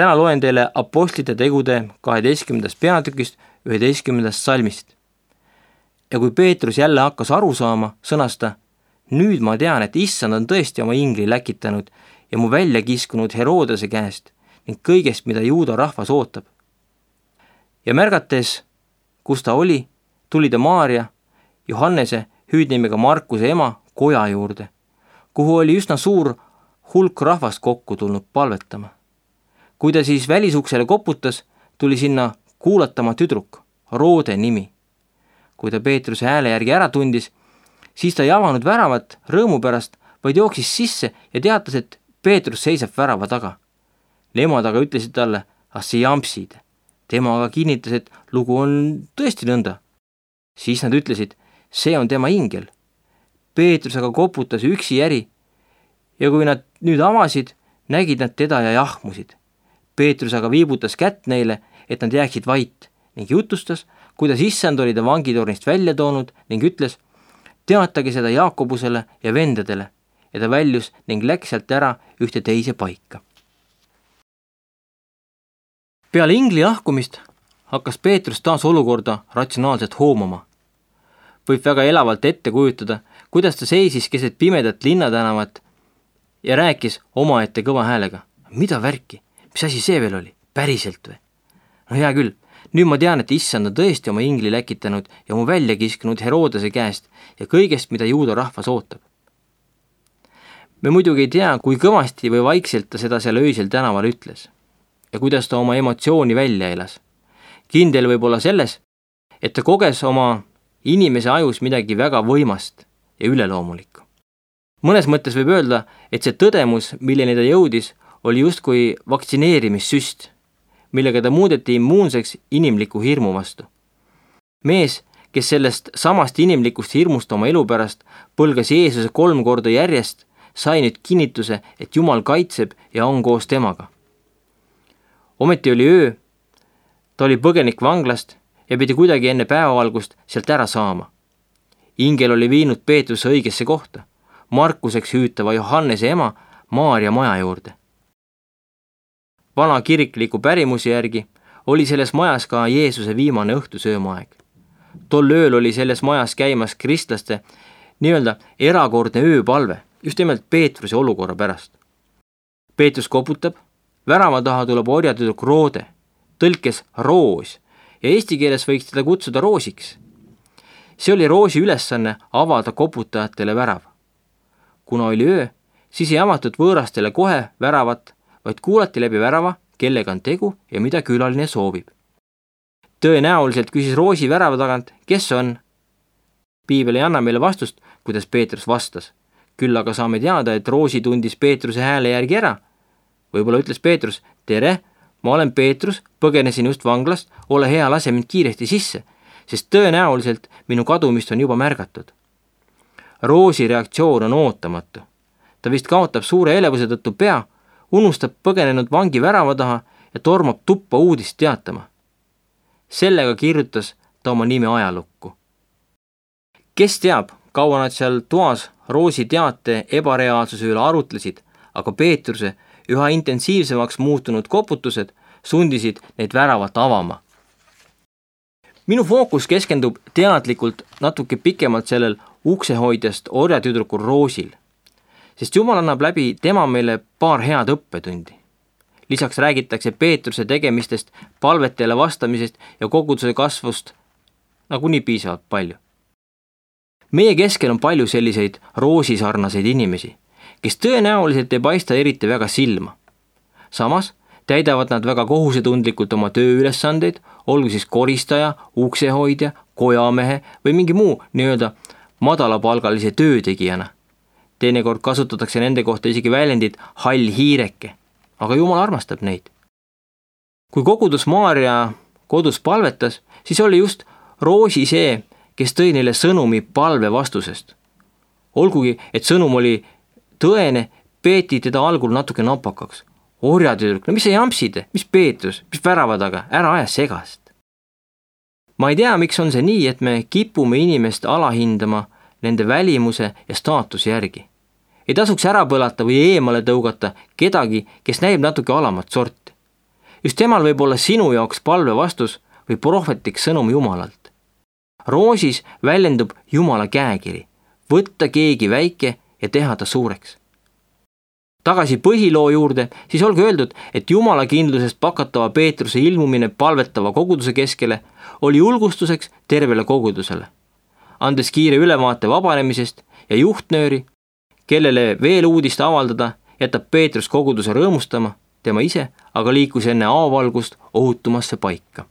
Täna loen teile Apostlite tegude 12. peatükist 11. salmist. Ja kui Peetrus jälle hakkas aru saama, sõnas ta: nüüd ma tean, et issand on tõesti oma ingli läkitanud ja mu välja kiskunud Herodese käest ning kõigest, mida juuda rahvas ootab. Ja märgates, kus ta oli, tuli ta Maaria, Johannese, hüüdnimega Markuse ema, koja juurde, kuhu oli üsna suur hulk rahvast kokku tulnud palvetama. Kui ta siis välisuksele koputas, tuli sinna kuulatama tüdruk, Roode nimi. Kui ta Peetruse hääle järgi ära tundis, siis ta ei avanud väravat rõõmu pärast, vaid jooksis sisse ja teatas, et Peetrus seisab värava taga. Nemad aga ütlesid talle: ah, see jampsid. Tema aga kinnitas, et lugu on tõesti nõnda. Siis nad ütlesid: see on tema ingel. Peetrus aga koputas üksi järi ja kui nad nüüd avasid, nägid nad teda ja jahmusid. Peetrus aga viibutas kätt neile, et nad jääksid vait ning jutustas, kuidas issand oli ta vangitornist välja toonud ning ütles: teatage seda Jaakobusele ja vendadele, ja ta väljus ning läks sealt ära ühte teise paika. Peale ingli lahkumist hakkas Peetrus taas olukorda ratsionaalselt hoomama. Võib väga elavalt ette kujutada, kuidas ta seisis keset pimedat linnatänavat ja rääkis omaette kõva häälega: mida värki, mis asi see veel oli, päriselt või? No hea küll, nüüd ma tean, et issand on tõesti oma ingli läkitanud ja mu välja kiskunud Herodese käest ja kõigest, mida juuda rahvas ootab. Me muidugi ei tea, kui kõvasti või vaikselt ta seda seal öisel tänaval ütles ja kuidas ta oma emotsiooni välja elas. Kindel võib olla selles, et ta koges oma inimese ajus midagi väga võimast ja üleloomulikku. Mõnes mõttes võib öelda, et see tõdemus, milleni ta jõudis, oli justkui vaktsineerimissüst, millega ta muudeti immuunseks inimliku hirmu vastu. Mees, kes sellest samast inimlikust hirmust oma elu pärast põlgas Jeesuse 3 korda järjest, sai nüüd kinnituse, et Jumal kaitseb ja on koos temaga. Ometi oli öö, ta oli põgenik vanglast ja pidi kuidagi enne päevavalgust sealt ära saama. Ingel oli viinud Peetruse õigesse kohta, Markuseks hüütava Johannese ema Maaria maja juurde. Vana kirikliku pärimuse järgi oli selles majas ka Jeesuse viimane õhtusöömaaeg. Tol ööl oli selles majas käimas kristlaste nii-öelda erakordne ööpalve, just nimelt Peetruse olukorra pärast. Peetrus koputab, värava taha tuleb orjatüdruk Roode, tõlkes Roos, ja eesti keeles võiks teda kutsuda Roosiks. See oli Roosi ülesanne avada koputajatele värav. Kuna oli öö, siis ei avatud võõrastele kohe väravat, vaid kuulati läbi värava, kellega on tegu ja mida külaline soovib. Tõenäoliselt küsis Roosi värava tagant, kes on? Piibel ei anna meile vastust, kuidas Peetrus vastas. Küll aga saame teada, et Roosi tundis Peetruse hääle järgi ära. Võib-olla ütles Peetrus: tere, ma olen Peetrus, põgenesin just vanglast, ole hea, lase mind kiiresti sisse, sest tõenäoliselt minu kadumist on juba märgatud. Roosi reaktsioon on ootamatu. Ta vist kaotab suure elevuse tõttu pea, unustab põgenenud vangi värava taha ja tormab tuppa uudist teatama. Sellega kirjutas ta oma nime ajalukku. Kes teab, kaua nad seal toas Roosi teate ebareaalsuse üle arutlesid, aga Peetruse üha intensiivsemaks muutunud koputused sundisid neid väravat avama. Minu fookus keskendub teadlikult natuke pikemalt sellel uksehoidjast orjatüdrukul Roosil, sest Jumal annab läbi tema meile paar head õppetundi. Lisaks räägitakse Peetruse tegemistest, palvetele vastamisest ja koguduse kasvust nagunii piisavalt palju. Meie keskel on palju selliseid roosisarnaseid inimesi, kes tõenäoliselt ei paista eriti väga silma. Samas täidavad nad väga kohusetundlikult oma tööülesandeid, olgu siis koristaja, uksehoidja, kojamehe või mingi muu nii-öelda madalapalgalise töötegijana. Teinekord kasutatakse nende kohta isegi väljendit hall hiireke, aga Jumal armastab neid. Kui kogudus Maaria kodus palvetas, siis oli just Roosi see, kes tõi neile sõnumi palve vastusest. Olgugi, et sõnum oli tõene, peeti teda algul natuke napakaks. Orjatüdruk, no mis sa jampsid, mis Peetrus, mis värava taga, ära aja segast. Ma ei tea, miks on see nii, et me kipume inimest alahindama nende välimuse ja staatuse järgi. Ei tasuks ära põlata või eemale tõugata kedagi, kes näib natuke alamat sorti. just temal võib olla sinu jaoks palve vastus või prohvetlik sõnum Jumalalt. Roosis väljendub Jumala käekiri, võtta keegi väike ja teha ta suureks. Tagasi põhiloo juurde, siis olgu öeldud, et Jumala kindlusest pakatava Peetruse ilmumine palvetava koguduse keskele oli julgustuseks tervele kogudusele, andes kiire ülevaate vabanemisest ja juhtnööri, kellele veel uudist avaldada, jätab Peetrus koguduse rõõmustama, tema ise aga liikus enne avavalgust ohutumasse paika.